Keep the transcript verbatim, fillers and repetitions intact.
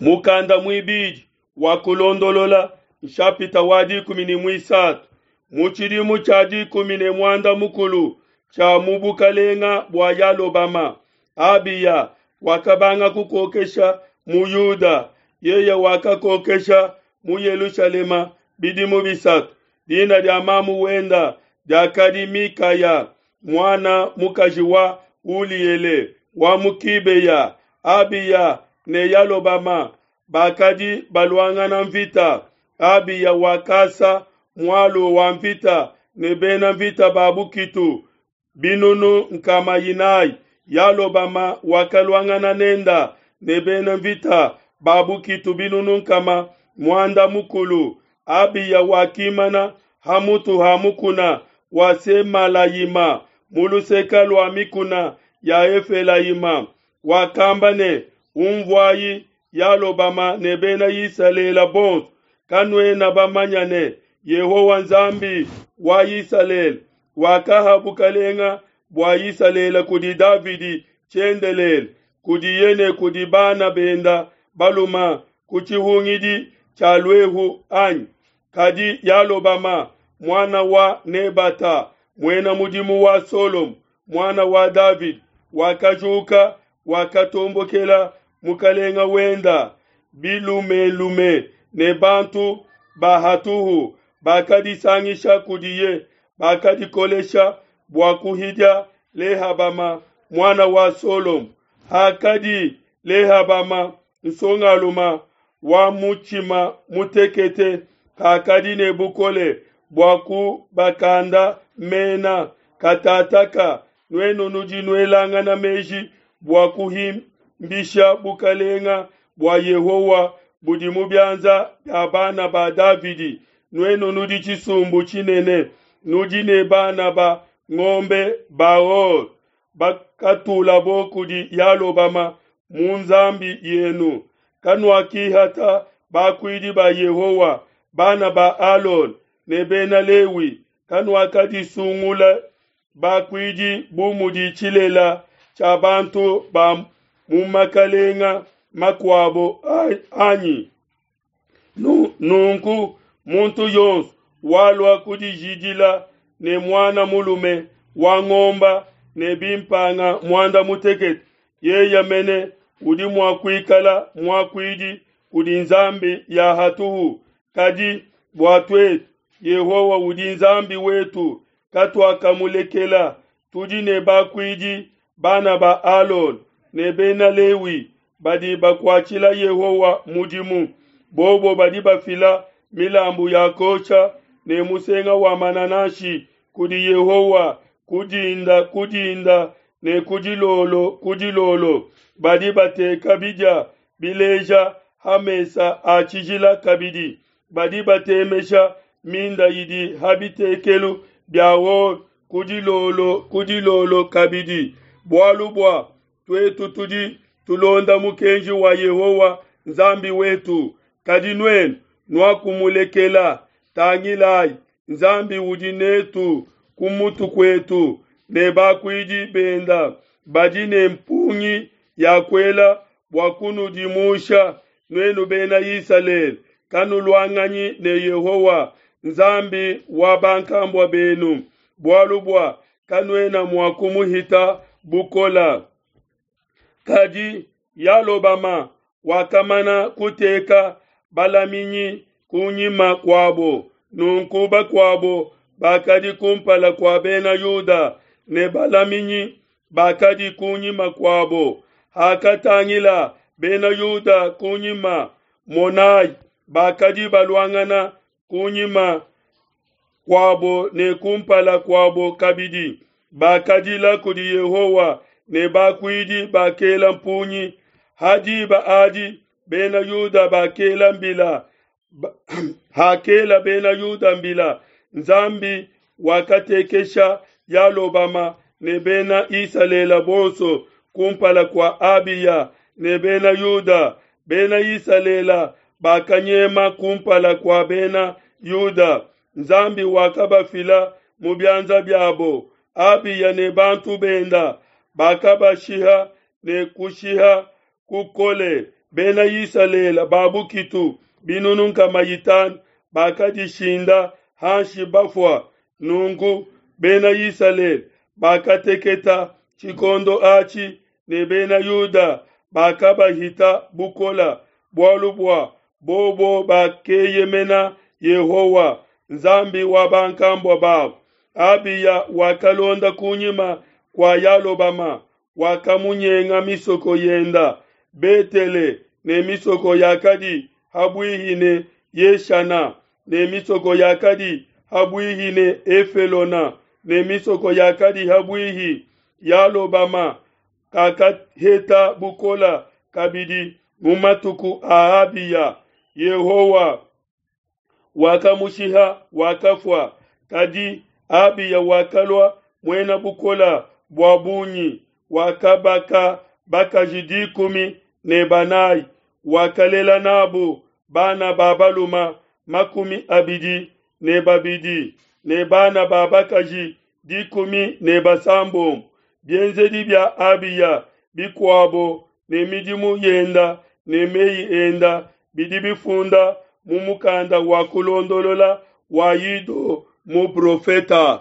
Mukanda muibidi wa Kulondolola nshapita wa dikumi ne muisatu. Mu tshidimu tshia dikumi ne muanda mukulu tshia mu bukalenga bua Yalobama, Abiya wakabanga kukokesha mu Yuda. Yeye wakakokesha mu Yelushalema bidimu bisatu. Dina dia mamu wenda diakadi Mikaya, muana mukaji wa Uliele wa mu Kibeya. Abiya ne Yalobama bakadi baluangana mvita. Abiya wakasa mualu wa mvita ne bena mvita ba bukitu binunu nkama inayi. Yalobama wakaluangana nenda ne bena mvita ba bukitu binunu nkama muanda mukulu. Abiya wakimana ha mutu ha mukuna wa Semalayima mu luseke lua mikuna ya Efelayima. Wakamba ne, Unvuayi Yalobama ne bena Isalele bonso, kanuena bamanya ne Yehowa Nzambi wa Isalele wakaha bukalenga bua Isalele kudi Davidi tshiendelele, kudiye ne kudi bana benda baluma ku tshihungidi tshia luehu anyi? Kadi Yalobama muana wa Nebata, muena mudimu wa Solomo muana wa Davidi, wakajuka wakatombokela mukalenga wenda. Bilumelume ne bantu ba hatuhu bakadisangisha kudiye, bakadikolesha bua kuhidia Lehabama muana wa Solomo. Hakadi Lehabama nsongaluma wa mutshima mutekete, kakadi ne bukole bua kubakanda mena. Katataka nuenu nudi nuelangana meji bua kuhimbisha bukalenga bua Yehowa budi mu bianza bia bana ba Davidi. Nuenu nudi tshisumbu tshinene, nudi ne bana ba ngombe ba or bakatulabo kudi Yalobama mu nzambi yenu. Kanuakihata bakuidi ba Yehowa, bana ba Alona ne bena Lewi. Kanuakadisungula bakuidi bu mudi tshilela tshia bantu ba mu makalenga makuabo anyi? Nunku muntu yonso walua kudijidila ne muana mulume wa ngomba ne bimpanga muanda mutekete, yeye mene udi mua kuikala muakuidi kudi nzambi ya hatuhu. Kadi bua tuetu, Yehowa udi Nzambi wetu, katuakamulekela. Tudi ne bakuidi bana ba Alona ne bena Lewi badi bakuatshila Yehowa mudimu. Bobo badi bafila milambu ya kosha ne musenga wa manananshi kudi Yehowa kudinda kudinda ne kudilolo kudilolo. Badi bateka bidia bileja ha mesa a tshijila kabidi. Badi batemesha minda idi ha bitekelu bia or kudilolo kudilolo kabidi. Bualu bua tuetu tudi tulonda mukenji wa Yehowa Nzambi wetu, kadi nuenu nuakumulekela. Tangilai, Nzambi udi netu ku mutu kuetu, ne bakuidi benda badi ne mpungi ya kuela bua kunudimusha nuenu bena Isalele. Kanuluanganyi ne Yehowa Nzambi wa bankambua benu, bualu bua kanuena mua kumuhita bukola. Kadi Yalobama wakamana kuteka balaminyi kunyima kuabo, nunku bakuabo bakadi kumpala kua bena Yuda ne balaminyi bakadi kunyima kuabo. Hakatangila bena Yuda kunyima, monai, bakadi baluangana kunyima kuabo ne kumpala kuabo kabidi. Bakadila kudi Yehowa ne bakuidi bakela mpungi. Ha diba adi bena Yuda bakela mbila, hakela bena Yuda mbila, Nzambi wakatekesha Yalobama ne bena Isalele bonso kumpala kua Abiya ne bena Yuda. Bena Isalele bakanyema kumpala kua bena Yuda. Nzambi wakabafila mu bianza biabo. Abiya ne bantu benda bakabashiha ne kushiha kukole. Bena Isalele ba bukitu binunu nkama itanu bakadishinda hanshi bafua. Nunku Bena Isalele bakateketa tshikondo atshi, ne Bena Yuda bakabahita bukola, bualu bua bobo bakeyemena Yehowa, Nzambi wa bankambua babo. Abiya wakalonda kunyima kua Yalobama, wakamunyenga misoko yenda, Betele ne misoko yakadi ha buihi ne Yeshana, ne misoko yakadi ha buihi ne Efelona, ne misoko yakadi ha buihi. Yalobama kakaheta bukola kabidi mu matuku a Abiya. Yehowa wakamushiha, wakafua. Kadi Abiya wakalua muena bukola bua bungi, wakabaka bakaji dikumi ne banayi, wakalela nabu bana ba baluma makumi abidi ne babidi ne bana ba bakaji dikumi ne basambombo. Bienzedi bia Abiya bikuabo ne midimu yenda ne meyi enda bidi bifunda mu mukanda wa kulondolola wa Ido muprofeta.